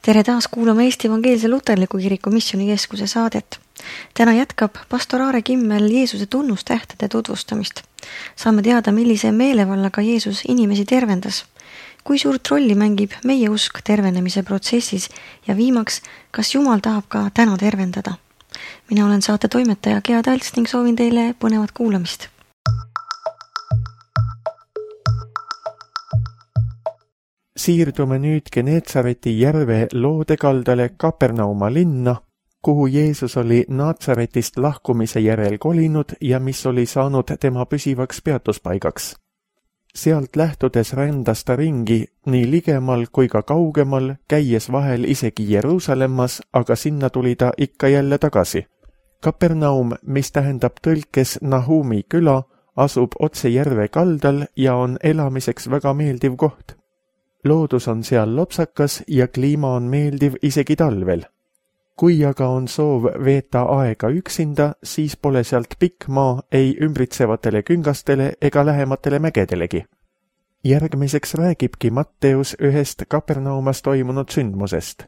Tere taas kuulama Eesti Evangeelse Luterliku Kiriku Missioonikeskuse saadet. Täna jätkab pastor Aare Kimmel Jeesuse tunnustähtede tutvustamist. Saame teada, millise meelevallaga Jeesus inimesi tervendas, kui suurt rolli mängib meie usk tervenemise protsessis ja viimaks, kas Jumal tahab ka täna tervendada. Mina olen saate toimetaja Gea Talts ning soovin teile põnevat kuulamist. Siirdume nüüd Geneetsareti järve loodekaldale Kapernauma linna, kuhu Jeesus oli Naatsaretist lahkumise järel kolinud ja mis oli saanud tema püsivaks peatuspaigaks. Sealt lähtudes rändas ta ringi nii ligemal kui ka kaugemal, käies vahel isegi Jeruusalemmas, aga sinna tuli ta ikka jälle tagasi. Kapernaum, mis tähendab tõlkes Nahumi küla, asub otse järve kaldal ja on elamiseks väga meeldiv koht. Loodus on seal lopsakas ja kliima on meeldiv isegi talvel. Kui aga on soov veeta aega üksinda, siis pole sealt pikk maa ei ümbritsevatele küngastele ega lähematele mägedelegi. Järgmiseks räägibki Matteus ühest Kapernaumas toimunud sündmusest.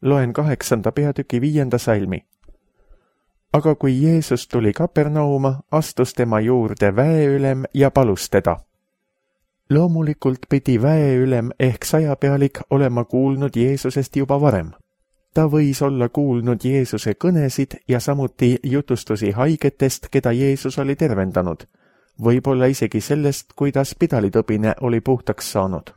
Loen 8. peatüki 5. salmi. Aga kui Jeesus tuli Kapernauma, astus tema juurde väeülem ja palus teda. Loomulikult pidi väeülem ehk sajapealik olema kuulnud Jeesusest juba varem. Ta võis olla kuulnud Jeesuse kõnesid ja samuti jutustusi haigetest, keda Jeesus oli tervendanud. Võib-olla isegi sellest, kuidas pidalitõbine oli puhtaks saanud.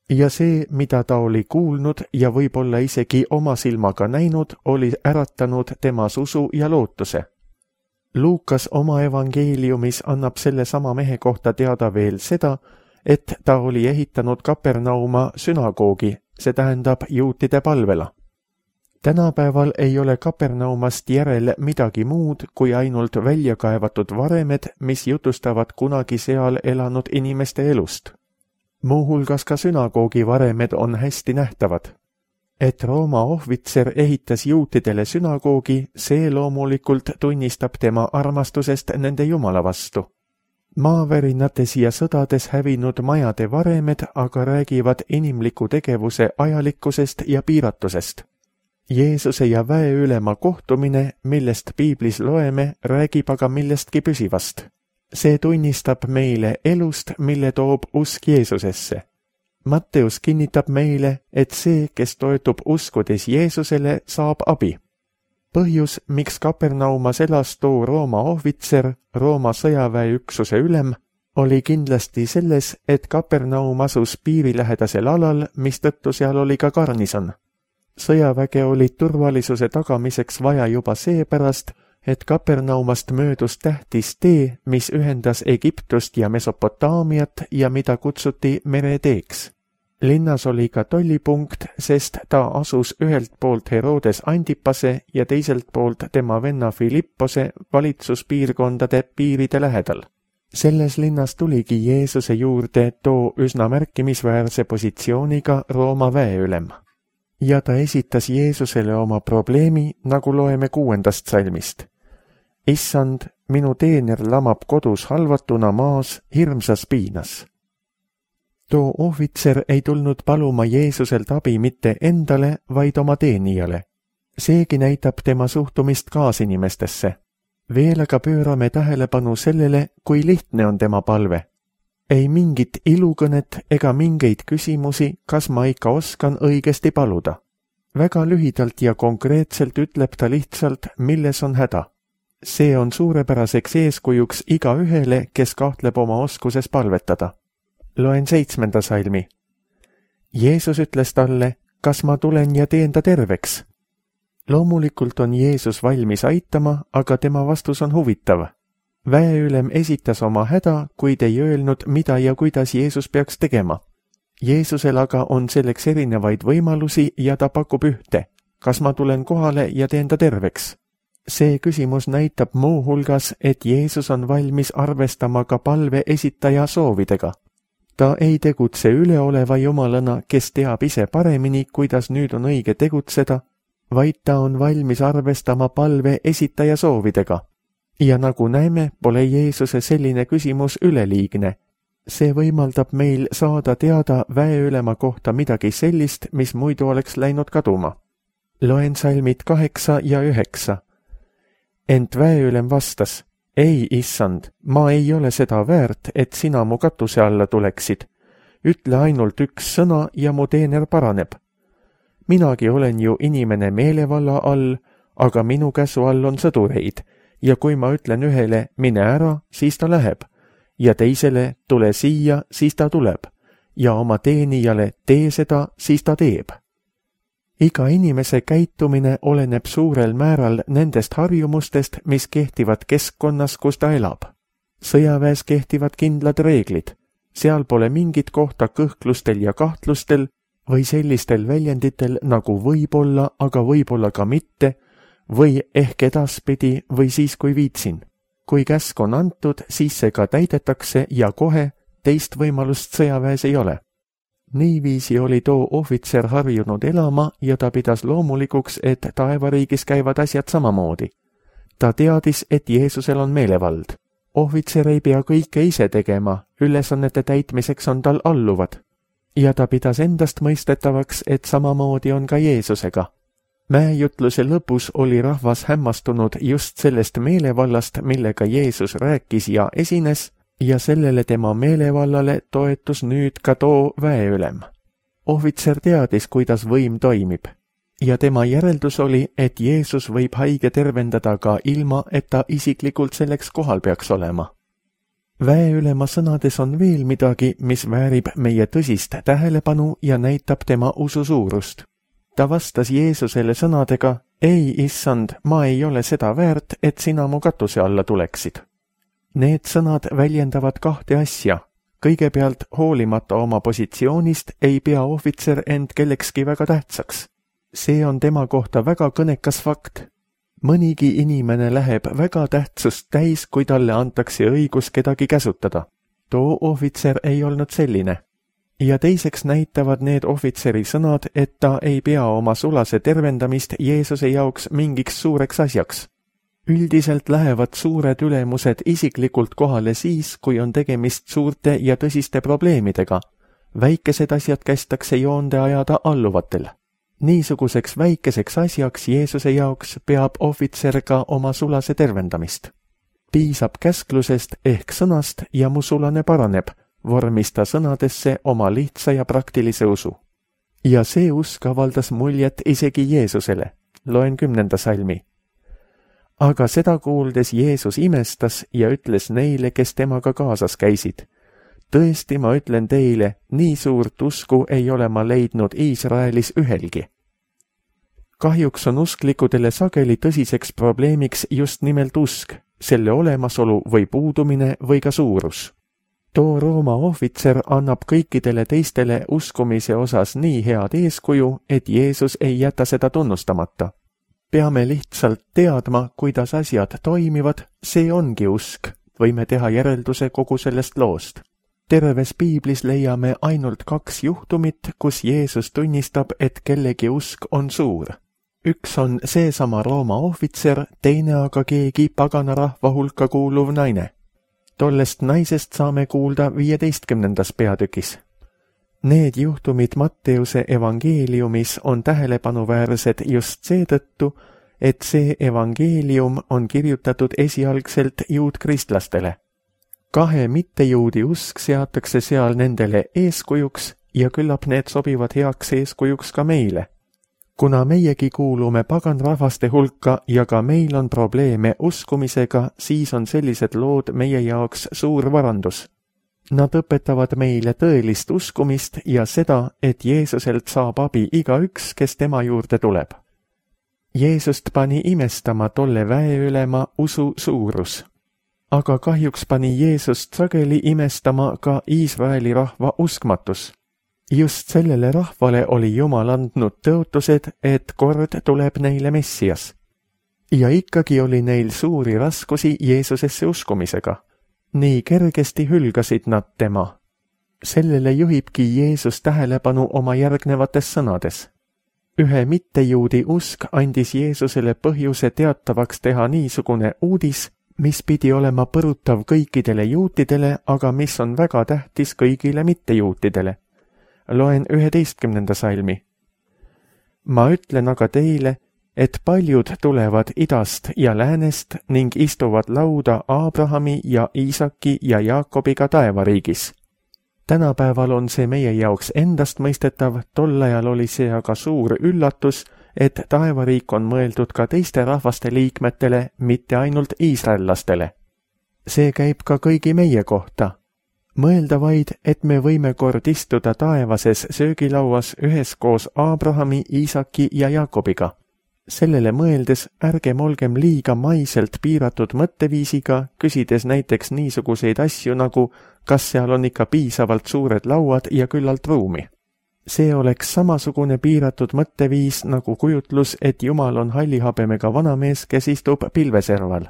Ja see, mida ta oli kuulnud ja võib-olla isegi oma silmaga näinud, oli äratanud temas usu ja lootuse. Luukas oma evangeeliumis annab selle sama mehe kohta teada veel seda, et ta oli ehitanud Kapernauma sünagoogi, see tähendab juutide palvela. Tänapäeval ei ole Kapernaumast järel midagi muud kui ainult välja kaevatud varemed, mis jutustavad kunagi seal elanud inimeste elust. Muuhulgas ka sünagoogi varemed on hästi nähtavad. Et Rooma ohvitser ehitas juutidele sünagoogi, see loomulikult tunnistab tema armastusest nende Jumala vastu. Maavärinates ja sõdades hävinud majade varemed aga räägivad inimliku tegevuse ajalikkusest ja piiratusest. Jeesuse ja väeülema kohtumine, millest piiblis loeme, räägib aga millestki püsivast. See tunnistab meile elust, mille toob usk Jeesusesse. Matteus kinnitab meile, et see, kes toetub uskudes Jeesusele, saab abi. Põhjus, miks Kapernaumas elas too Rooma ohvitser, Rooma sõjaväeüksuse ülem, oli kindlasti selles, et Kapernaum asus piirilähedasel alal, mistõttu seal oli ka garnison. Sõjaväge oli turvalisuse tagamiseks vaja juba seepärast, et Kapernaumast möödus tähtis tee, mis ühendas Egiptust ja Mesopotaamiat ja mida kutsuti mereteeks. Linnas oli ka tollipunkt, sest ta asus ühelt poolt Herodes Antipase ja teiselt poolt tema venna Filippose valitsuspiirkondade piiride lähedal. Selles linnas tuligi Jeesuse juurde too üsna märkimisväärse positsiooniga Rooma väeülem. Ja ta esitas Jeesusele oma probleemi, nagu loeme 6. salmist. Issand, minu teener lamab kodus halvatuna maas hirmsas piinas. Too ohvitser ei tulnud paluma Jeesuselt abi mitte endale, vaid oma teenijale. Seegi näitab tema suhtumist kaasinimestesse. Veel aga pöörame tähelepanu sellele, kui lihtne on tema palve. Ei mingit ilukõnet ega mingeid küsimusi, kas ma ikka oskan õigesti paluda. Väga lühidalt ja konkreetselt ütleb ta lihtsalt, milles on häda. See on suurepäraseks eeskujuks igaühele, kes kahtleb oma oskuses palvetada. Loen 7. salmi. Jeesus ütles talle, kas ma tulen ja teen ta terveks? Loomulikult on Jeesus valmis aitama, aga tema vastus on huvitav. Väeülem esitas oma häda, kuid ei öelnud, mida ja kuidas Jeesus peaks tegema. Jeesusel aga on selleks erinevaid võimalusi ja ta pakub ühte. Kas ma tulen kohale ja teen ta terveks? See küsimus näitab muuhulgas, et Jeesus on valmis arvestama ka palve esitaja soovidega. Ta ei tegutse üleoleva jumalana, kes teab ise paremini, kuidas nüüd on õige tegutseda, vaid ta on valmis arvestama palve esitaja soovidega. Ja nagu näeme, pole Jeesuse selline küsimus üleliigne. see võimaldab meil saada teada väeülema kohta midagi sellist, mis muidu oleks läinud kaduma. Loen salmid 8 ja 9. Ent väeülem vastas, ei, issand, ma ei ole seda väärt, et sina mu katuse alla tuleksid. Ütle ainult üks sõna ja mu teener paraneb. Minagi olen ju inimene meelevalla all, aga minu käsu all on sõdureid, ja kui ma ütlen ühele, mine ära, siis ta läheb, ja teisele, tule siia, siis ta tuleb, ja oma teenijale, tee seda, siis ta teeb. Iga inimese käitumine oleneb suurel määral nendest harjumustest, mis kehtivad keskkonnas, kus ta elab. Sõjaväes kehtivad kindlad reeglid. Seal pole mingit kohta kõhklustel ja kahtlustel või sellistel väljenditel nagu võib-olla, aga võib-olla ka mitte, või ehk edaspidi või siis, kui viitsin. Kui käsk on antud, siis see ka täidetakse ja kohe teist võimalust sõjaväes ei ole. Niiviisi oli too ohvitser harjunud elama ja ta pidas loomulikuks, et taevariigis käivad asjad samamoodi. Ta teadis, et Jeesusel on meelevald. Ohvitser ei pea kõike ise tegema, ülesannete täitmiseks on tal alluvad. Ja ta pidas endast mõistetavaks, et samamoodi on ka Jeesusega. Mäejutluse lõpus oli rahvas hämmastunud just sellest meelevallast, millega Jeesus rääkis ja esines, ja sellele tema meelevallale toetus nüüd ka too väeülem. Ohvitser teadis, kuidas võim toimib, ja tema järeldus oli, et Jeesus võib haige tervendada ka ilma, et ta isiklikult selleks kohal peaks olema. Väeülema sõnades on veel midagi, mis väärib meie tõsist tähelepanu ja näitab tema usu suurust. Ta vastas Jeesusele sõnadega, ei, issand, ma ei ole seda väärt, et sina mu katuse alla tuleksid. Need sõnad väljendavad kahte asja. Kõigepealt, hoolimata oma positsioonist, ei pea ohvitser end kellekski väga tähtsaks. See on tema kohta väga kõnekas fakt. Mõnigi inimene läheb väga tähtsust täis, kui talle antakse õigus kedagi käsutada. Too ohvitser ei olnud selline. Ja teiseks näitavad need ohvitseri sõnad, et ta ei pea oma sulase tervendamist Jeesuse jaoks mingiks suureks asjaks. Üldiselt lähevad suured ülemused isiklikult kohale siis, kui on tegemist suurte ja tõsiste probleemidega. Väikesed asjad kästakse joonde ajada alluvatel. Niisuguseks väikeseks asjaks Jeesuse jaoks peab ohvitser ka oma sulase tervendamist. Piisab käsklusest ehk sõnast ja mu sulane paraneb, vormis ta sõnadesse oma lihtsa ja praktilise usu. Ja see usk avaldas muljet isegi Jeesusele. Loen 10. salmi. Aga seda kuuldes Jeesus imestas ja ütles neile, kes temaga kaasas käisid. Tõesti, ma ütlen teile, nii suurt usku ei ole ma leidnud Iisraelis ühelgi. Kahjuks on usklikudele sageli tõsiseks probleemiks just nimelt usk, selle olemasolu või puudumine või ka suurus. Too Rooma ohvitser annab kõikidele teistele uskumise osas nii head eeskuju, et Jeesus ei jäta seda tunnustamata. Peame lihtsalt teadma, kuidas asjad toimivad, see ongi usk, võime teha järelduse kogu sellest loost. Terves Piiblis leiame ainult 2 juhtumit, kus Jeesus tunnistab, et kellegi usk on suur. Üks on seesama Rooma ohvitser, teine aga keegi pagana rahva hulka kuuluv naine. Tollest naisest saame kuulda 15. peatükis. Need juhtumid Matteuse evangeeliumis on tähelepanuväärsed just seetõttu, et see evangeelium on kirjutatud esialgselt juudkristlastele. 2 mittejuudi usk seatakse seal nendele eeskujuks ja küllap need sobivad heaks eeskujuks ka meile. Kuna meiegi kuulume paganrahvaste hulka ja ka meil on probleeme uskumisega, siis on sellised lood meie jaoks suur varandus. Nad õpetavad meile tõelist uskumist ja seda, et Jeesuselt saab abi igaüks, kes tema juurde tuleb. Jeesust pani imestama tolle väeülema usu suurus. Aga kahjuks pani Jeesust sageli imestama ka Iisraeli rahva uskmatus. Just sellele rahvale oli Jumal andnud tõotused, et kord tuleb neile Messias. Ja ikkagi oli neil suuri raskusi Jeesusesse uskumisega. Nii kergesti hülgasid nad tema. Sellele juhibki Jeesus tähelepanu oma järgnevates sõnades. Ühe mittejuudi usk andis Jeesusele põhjuse teatavaks teha niisugune uudis, mis pidi olema põrutav kõikidele juutidele, aga mis on väga tähtis kõigile mittejuutidele. Loen 11. salmi. Ma ütlen aga teile, et paljud tulevad idast ja läänest ning istuvad lauda Abrahami ja Iisaki ja Jaakobiga taevariigis. Tänapäeval on see meie jaoks endastmõistetav, tol ajal oli see aga suur üllatus, et taevariik on mõeldud ka teiste rahvaste liikmetele, mitte ainult iisraellastele. See käib ka kõigi meie kohta. Mõelda vaid, et me võime kord istuda taevases söögilauas üheskoos Abrahami, Iisaki ja Jaakobiga. Sellele mõeldes ärgem olgem liiga maiselt piiratud mõtteviisiga, küsides näiteks niisuguseid asju nagu, kas seal on ikka piisavalt suured lauad ja küllalt ruumi. See oleks samasugune piiratud mõtteviis nagu kujutlus, et Jumal on hallihabemega vanamees, kes istub pilveserval.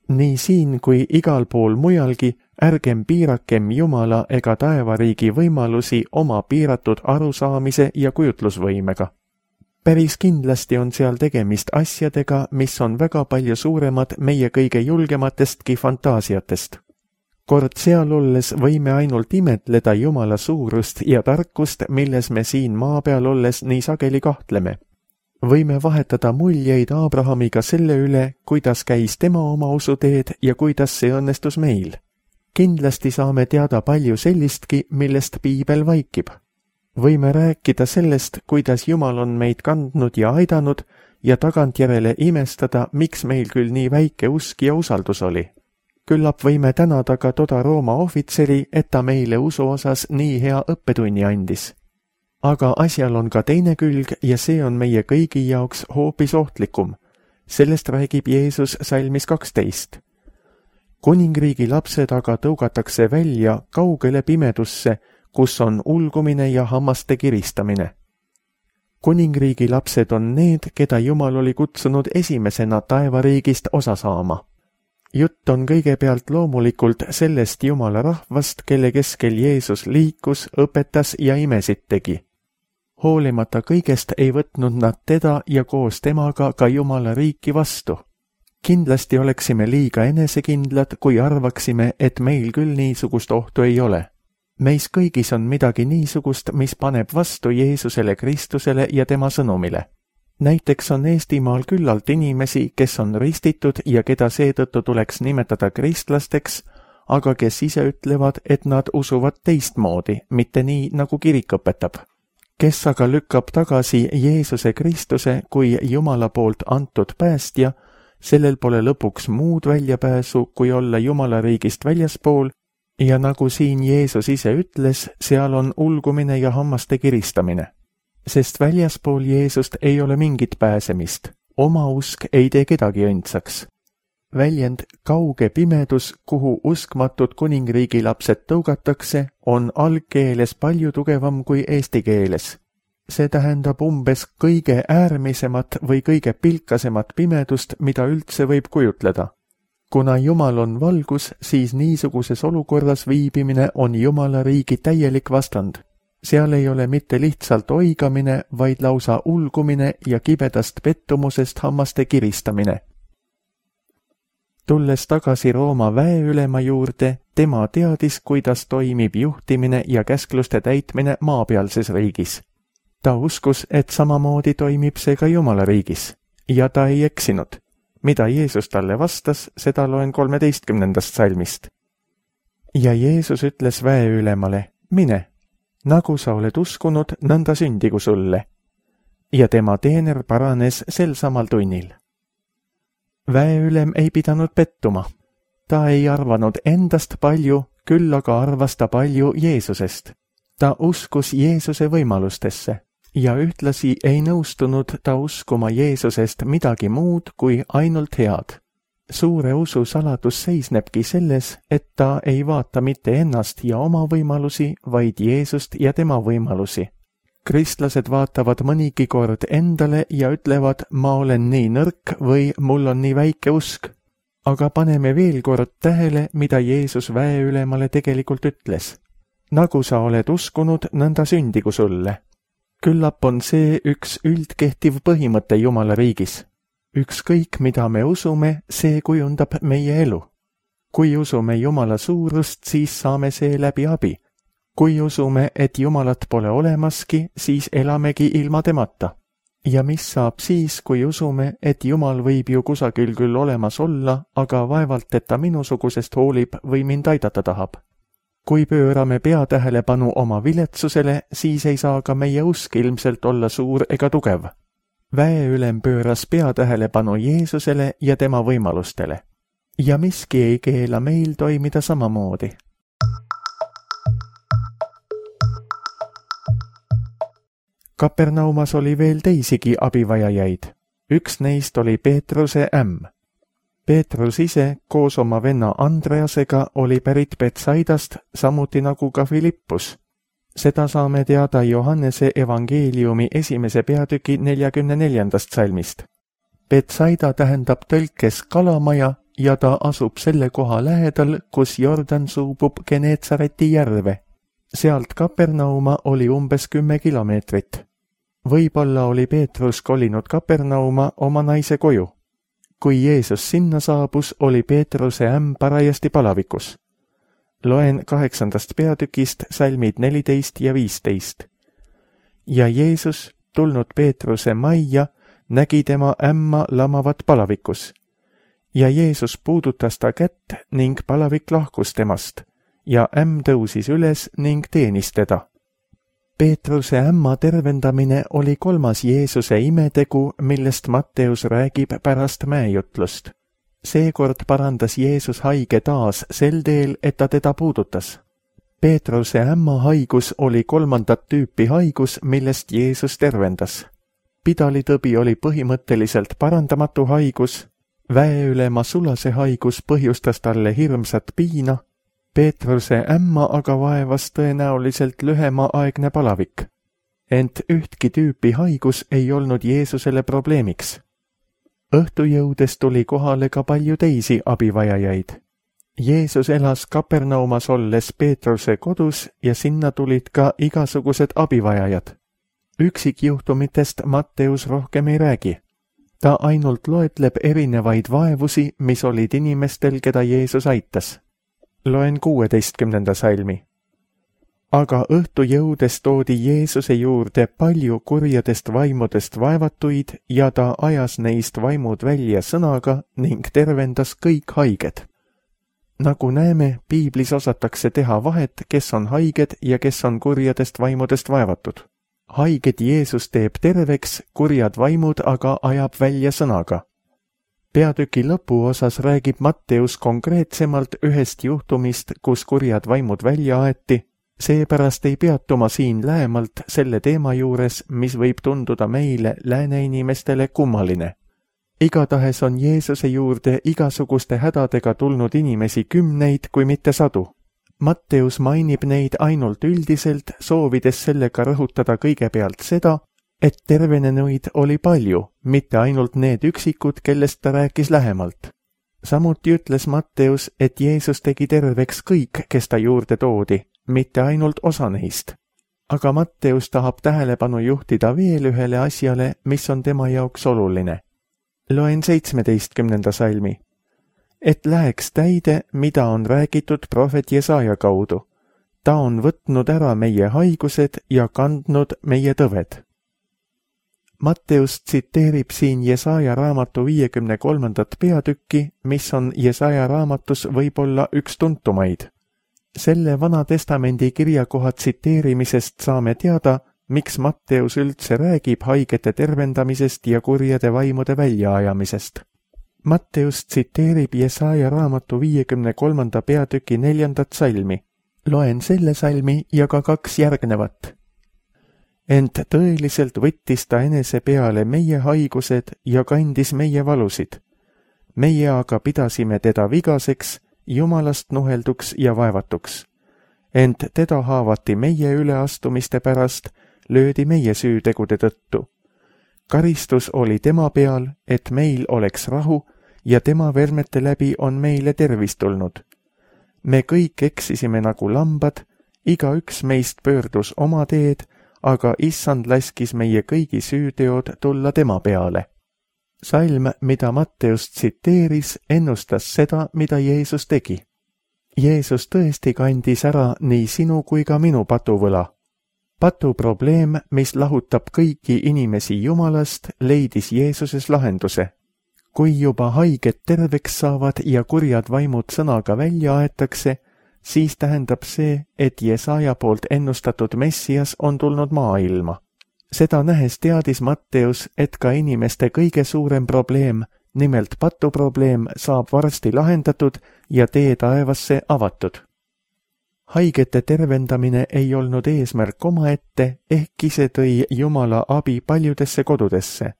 Nii siin kui igal pool mujalgi ärgem piirakem Jumala ega taevariigi võimalusi oma piiratud arusaamise ja kujutlusvõimega. Päris kindlasti on seal tegemist asjadega, mis on väga palju suuremad meie kõige julgematestki fantaasiatest. Kord seal olles võime ainult imetleda Jumala suurust ja tarkust, milles me siin maa peal olles nii sageli kahtleme. Võime vahetada muljeid Abrahamiga selle üle, kuidas käis tema oma usuteed ja kuidas see õnnestus meil. Kindlasti saame teada palju sellistki, millest piibel vaikib. Võime rääkida sellest, kuidas Jumal on meid kandnud ja aidanud ja tagantjärele imestada, miks meil küll nii väike usk ja usaldus oli. Küllap võime tänada ka toda Rooma ohvitseri, et ta meile usu osas nii hea õppetunni andis. Aga asjal on ka teine külg ja see on meie kõigi jaoks hoopis ohtlikum. Sellest räägib Jeesus salmis 12. Kuningriigi lapsed aga tõugatakse välja kaugele pimedusse, kus on ulgumine ja hammaste kiristamine. Kuningriigi lapsed on need, keda Jumal oli kutsunud esimesena taevariigist osa saama. Jutt on kõigepealt loomulikult sellest Jumala rahvast, kelle keskel Jeesus liikus, õpetas ja imesid tegi. Hoolimata kõigest ei võtnud nad teda ja koos temaga ka Jumala riiki vastu. Kindlasti oleksime liiga enesekindlad, kui arvaksime, et meil küll niisugust ohtu ei ole. Meis kõigis on midagi niisugust, mis paneb vastu Jeesusele Kristusele ja tema sõnumile. Näiteks on Eestimaal küllalt inimesi, kes on ristitud ja keda seetõttu tuleks nimetada kristlasteks, aga kes ise ütlevad, et nad usuvad teistmoodi, mitte nii, nagu kirik õpetab. Kes aga lükkab tagasi Jeesuse Kristuse kui Jumala poolt antud päästja, sellel pole lõpuks muud väljapääsu, kui olla Jumala riigist väljaspool, ja nagu siin Jeesus ise ütles, seal on ulgumine ja hammaste kiristamine. Sest väljaspool Jeesust ei ole mingit pääsemist. Oma usk ei tee kedagi õndsaks. Väljend kauge pimedus, kuhu uskmatud kuningriigi lapsed tõugatakse, on algkeeles palju tugevam kui eesti keeles. See tähendab umbes kõige äärmisemat või kõige pilkasemat pimedust, mida üldse võib kujutleda. Kuna Jumal on valgus, siis niisuguses olukorras viibimine on Jumala riigi täielik vastand. Seal ei ole mitte lihtsalt oigamine, vaid lausa ulgumine ja kibedast pettumusest hammaste kiristamine. Tulles tagasi Rooma väeülema juurde, tema teadis, kuidas toimib juhtimine ja käskluste täitmine maapealses riigis. Ta uskus, et samamoodi toimib see ka Jumala riigis. Ja ta ei eksinud. Mida Jeesus talle vastas, seda loen 13. salmist. Ja Jeesus ütles väeülemale, mine, nagu sa oled uskunud, nõnda sündigu sulle. Ja tema teener paranes sel samal tunnil. Väeülem ei pidanud pettuma. Ta ei arvanud endast palju, küll aga arvas ta palju Jeesusest. Ta uskus Jeesuse võimalustesse. Ja ühtlasi ei nõustunud ta uskuma Jeesusest midagi muud kui ainult head. Suure usu saladus seisnebki selles, et ta ei vaata mitte ennast ja oma võimalusi, vaid Jeesust ja tema võimalusi. Kristlased vaatavad mõnigi kord endale ja ütlevad, ma olen nii nõrk või mul on nii väike usk. Aga paneme veel kord tähele, mida Jeesus väeülemale tegelikult ütles. Nagu sa oled uskunud, nõnda sündigu sulle. Küllap on see üks üldkehtiv põhimõte Jumala riigis. Ükskõik, mida me usume, see kujundab meie elu. Kui usume Jumala suurust, siis saame see läbi abi. Kui usume, et Jumalat pole olemaski, siis elamegi ilma temata. Ja mis saab siis, kui usume, et Jumal võib ju kusagil küll olemas olla, aga vaevalt, et ta minusugusest hoolib või mind aidata tahab? Kui pöörame peatähelepanu oma viletsusele, siis ei saa ka meie usk ilmselt olla suur ega tugev. Väeülem pööras peatähelepanu Jeesusele ja tema võimalustele. Ja miski ei keela meil toimida samamoodi. Kapernaumas oli veel teisigi abivajajaid. Üks neist oli Peetruse ämm. Peetrus ise koos oma venna Andreasega oli pärit Betsaidast, samuti nagu ka Filippus. Seda saame teada Johannese evangeeliumi 1. peatüki 44. salmist. Betsaida tähendab tõlkes kalamaja ja ta asub selle koha lähedal, kus Jordan suubub Geneetsareti järve. Sealt Kapernauma oli umbes 10 kilomeetrit. Võib-olla oli Peetrus kolinud Kapernauma oma naise koju. Kui Jeesus sinna saabus, oli Peetruse ämm parajasti palavikus. Loen 8. peatükist salmid 14 ja 15. Ja Jeesus, tulnud Peetruse majja, nägi tema ämma lamavat palavikus. Ja Jeesus puudutas ta kätt ning palavik lahkus temast ja ämm tõusis üles ning teenis teda. Peetruse ämma tervendamine oli 3. Jeesuse imetegu, millest Matteus räägib pärast mäejutlust. Seekord parandas Jeesus haige taas sel teel, et ta teda puudutas. Peetruse ämma haigus oli 3. tüüpi haigus, millest Jeesus tervendas. Pidalitõbi oli põhimõtteliselt parandamatu haigus, väeülema sulase haigus põhjustas talle hirmsat piina, Peetruse ämma aga vaevas tõenäoliselt lühemaaegne palavik. Ent ühtki tüüpi haigus ei olnud Jeesusele probleemiks. Õhtu jõudes tuli kohale ka palju teisi abivajajaid. Jeesus elas Kapernaumas olles Peetruse kodus ja sinna tulid ka igasugused abivajajad. Üksikjuhtumitest Matteus rohkem ei räägi. Ta ainult loetleb erinevaid vaevusi, mis olid inimestel, keda Jeesus aitas. Loen 16. salmi. Aga õhtu jõudes toodi Jeesuse juurde palju kurjadest vaimudest vaevatuid ja ta ajas neist vaimud välja sõnaga ning tervendas kõik haiged. Nagu näeme, piiblis osatakse teha vahet, kes on haiged ja kes on kurjadest vaimudest vaevatud. Haiged Jeesus teeb terveks, kurjad vaimud aga ajab välja sõnaga. Peatüki lõpuosas räägib Matteus konkreetsemalt ühest juhtumist, kus kurjad vaimud välja aeti, seepärast ei peatuma siin lähemalt selle teema juures, mis võib tunduda meile lääne inimestele kummaline. Igatahes on Jeesuse juurde igasuguste hädadega tulnud inimesi 10, kui mitte 100. Matteus mainib neid ainult üldiselt, soovides sellega rõhutada kõigepealt seda, et tervenenuid oli palju, mitte ainult need üksikud, kellest ta rääkis lähemalt. Samuti ütles Matteus, et Jeesus tegi terveks kõik, kes ta juurde toodi, mitte ainult osa neist. Aga Matteus tahab tähelepanu juhtida veel ühele asjale, mis on tema jaoks oluline. Loen 17. salmi. Et läheks täide, mida on räägitud prohvet Jesaja kaudu. Ta on võtnud ära meie haigused ja kandnud meie tõved. Matteus tsiteerib siin Jesaja raamatu 53. peatükki, mis on Jesaja raamatus võib-olla üks tuntumaid. Selle Vana Testamendi kirjakoha tsiteerimisest saame teada, miks Matteus üldse räägib haigete tervendamisest ja kurjade vaimude väljaajamisest. Matteus tsiteerib Jesaja raamatu 53. peatüki 4. salmi. Loen selle salmi ja ka 2 järgnevat. Ent tõeliselt võttis ta enese peale meie haigused ja kandis meie valusid. Meie aga pidasime teda vigaseks, Jumalast nuhelduks ja vaevatuks. Ent teda haavati meie üleastumiste pärast, löödi meie süütegude tõttu. Karistus oli tema peal, et meil oleks rahu ja tema vermete läbi on meile tervis tulnud. Me kõik eksisime nagu lambad, igaüks meist pöördus oma teed, aga Issand laskis meie kõigi süüteod tulla tema peale. Salm, mida Matteus tsiteeris, ennustas seda, mida Jeesus tegi. Jeesus tõesti kandis ära nii sinu kui ka minu patuvõla. Patuprobleem, mis lahutab kõiki inimesi Jumalast, leidis Jeesuses lahenduse. Kui juba haiged terveks saavad ja kurjad vaimud sõnaga välja aetakse, siis tähendab see, et Jesaja poolt ennustatud Messias on tulnud maailma. Seda nähes teadis Matteus, et ka inimeste kõige suurem probleem, nimelt patuprobleem, saab varsti lahendatud ja tee taevasse avatud. Haigete tervendamine ei olnud eesmärk omaette, ehkki see tõi Jumala abi paljudesse kodudesse.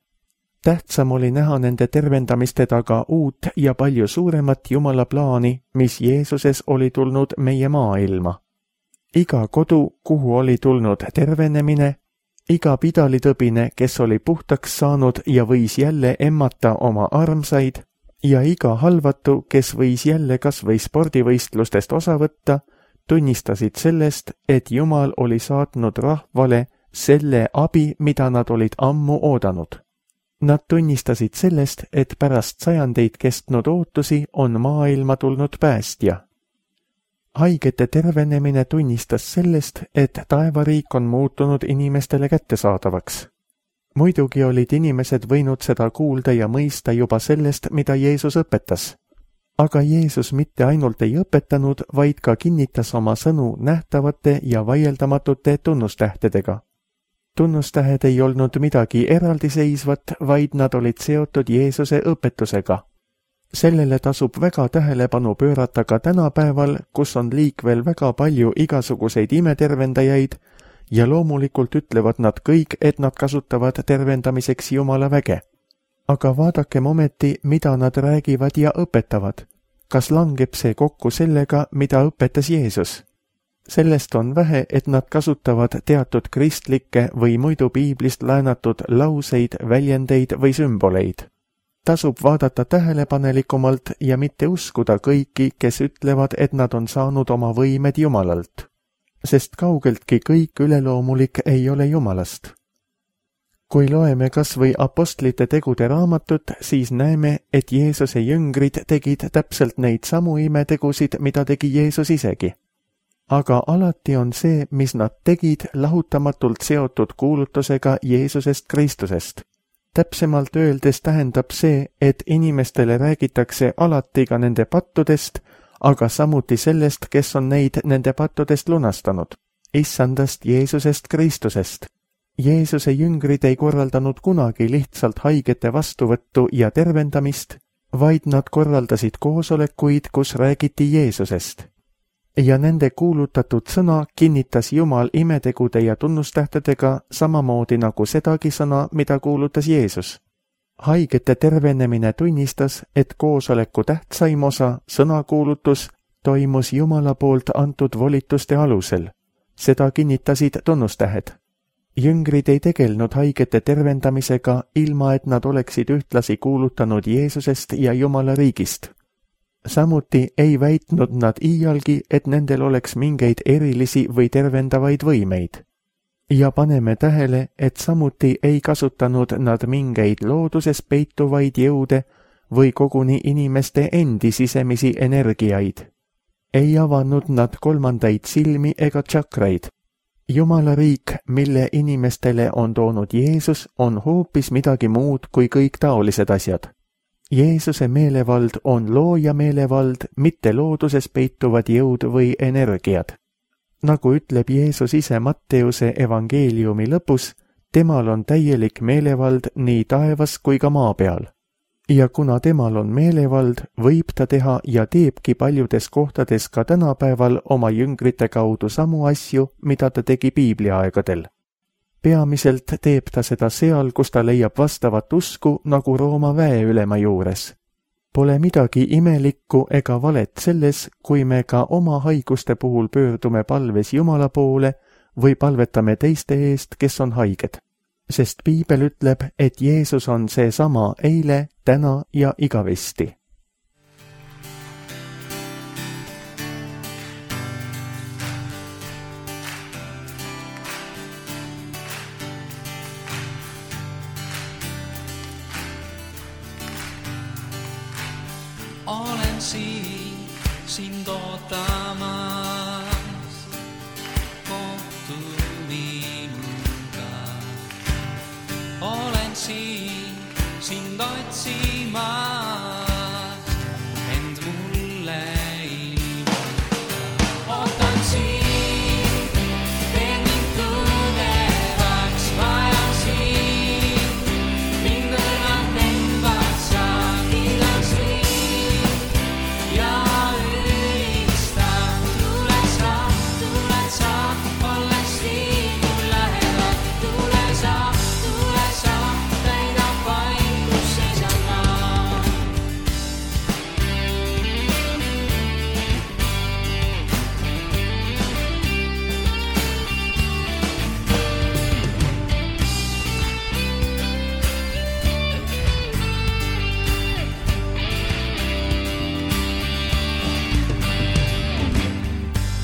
Tähtsam oli näha nende tervendamiste taga uut ja palju suuremat Jumala plaani, mis Jeesuses oli tulnud meie maailma. Iga kodu, kuhu oli tulnud tervenemine, iga pidalitõbine, kes oli puhtaks saanud ja võis jälle emmata oma armsaid, ja iga halvatu, kes võis jälle kas või spordivõistlustest osa võtta, tunnistasid sellest, et Jumal oli saatnud rahvale selle abi, mida nad olid ammu oodanud. Nad tunnistasid sellest, et pärast sajandeid kestnud ootusi on maailma tulnud päästja. Haigete tervenemine tunnistas sellest, et taevariik on muutunud inimestele kättesaadavaks. Muidugi olid inimesed võinud seda kuulda ja mõista juba sellest, mida Jeesus õpetas. Aga Jeesus mitte ainult ei õpetanud, vaid ka kinnitas oma sõnu nähtavate ja vaieldamatute tunnustähtedega. Tunnustähed ei olnud midagi eraldiseisvat, vaid nad olid seotud Jeesuse õpetusega. Sellele tasub väga tähelepanu pöörata ka tänapäeval, kus on liikvel väga palju igasuguseid imetervendajaid ja loomulikult ütlevad nad kõik, et nad kasutavad tervendamiseks Jumala väge. Aga vaadakem ometi, mida nad räägivad ja õpetavad. Kas langeb see kokku sellega, mida õpetas Jeesus? Sellest on vähe, et nad kasutavad teatud kristlikke või muidu piiblist laenatud lauseid, väljendeid või sümboleid. Tasub vaadata tähelepanelikumalt ja mitte uskuda kõiki, kes ütlevad, et nad on saanud oma võimed Jumalalt. Sest kaugeltki kõik üleloomulik ei ole Jumalast. Kui loeme kas või apostlite tegude raamatut, siis näeme, et Jeesuse jüngrid tegid täpselt neid samu imetegusid, mida tegi Jeesus isegi. Aga alati on see, mis nad tegid, lahutamatult seotud kuulutusega Jeesusest Kristusest. Täpsemalt öeldes tähendab see, et inimestele räägitakse alati ka nende pattudest, aga samuti sellest, kes on neid nende pattudest lunastanud. Issandast Jeesusest Kristusest. Jeesuse jüngrid ei korraldanud kunagi lihtsalt haigete vastuvõttu ja tervendamist, vaid nad korraldasid koosolekuid, kus räägiti Jeesusest. Ja nende kuulutatud sõna kinnitas Jumal imetegude ja tunnustähtedega samamoodi nagu sedagi sõna, mida kuulutas Jeesus. Haigete tervenemine tunnistas, et koosoleku tähtsaim osa, sõnakuulutus, toimus Jumala poolt antud volituste alusel. Seda kinnitasid tunnustähed. Jüngrid ei tegelnud haigete tervendamisega, ilma et nad oleksid ühtlasi kuulutanud Jeesusest ja Jumala riigist. Samuti ei väitnud nad iialgi, et nendel oleks mingeid erilisi või tervendavaid võimeid. Ja paneme tähele, et samuti ei kasutanud nad mingeid looduses peituvaid jõude või koguni inimeste endi sisemisi energiaid. Ei avanud nad kolmandaid silmi ega tšakraid. Jumala riik, mille inimestele on toonud Jeesus, on hoopis midagi muud kui kõik taolised asjad. Jeesuse meelevald on looja meelevald, mitte looduses peituvad jõud või energiad. Nagu ütleb Jeesus ise Matteuse evangeeliumi lõpus, temal on täielik meelevald nii taevas kui ka maa peal. Ja kuna temal on meelevald, võib ta teha ja teebki paljudes kohtades ka tänapäeval oma jüngrite kaudu samu asju, mida ta tegi piibliaegadel. Peamiselt teeb ta seda seal, kus ta leiab vastavat usku nagu Rooma väeülema juures. Pole midagi imelikku ega valet selles, kui me ka oma haiguste puhul pöördume palves Jumala poole või palvetame teiste eest, kes on haiged. Sest piibel ütleb, et Jeesus on seesama eile, täna ja igavesti. olen siin sind ootamas, kohtu minuga. Olen siin sind otsimas, end mulle ilmuta. Ootan siin, teen mind tugevaks, vajan siin, mind õrnalt temvad sa, kiidan siin ja ülistan. Tuled sa, olles siin mul lähedal, tule sa, täida paik, kus seisan ma.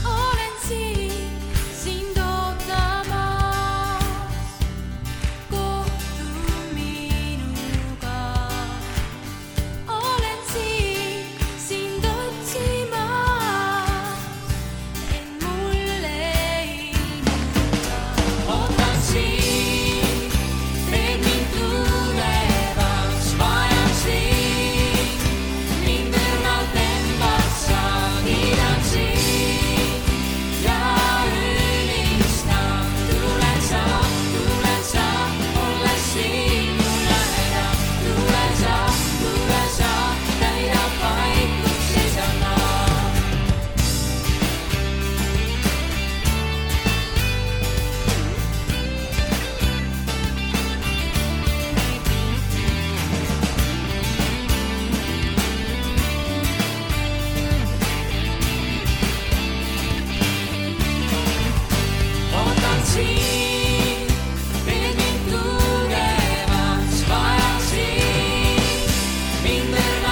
Olen siin sind ootamas, kohtu minuga. Olen siin sind otsimas, end mulle ilmuta. Ootan siin, teed mind tugevaks, vajan siin, mind õrnalt temvad sa, kiidan siin ja ülistan. Tuled sa, olles siin mul lähedal, tule sa, täida paik, kus seisan ma. Ootan siin, teed mind tugevaks, vajan siin, mind õrnalt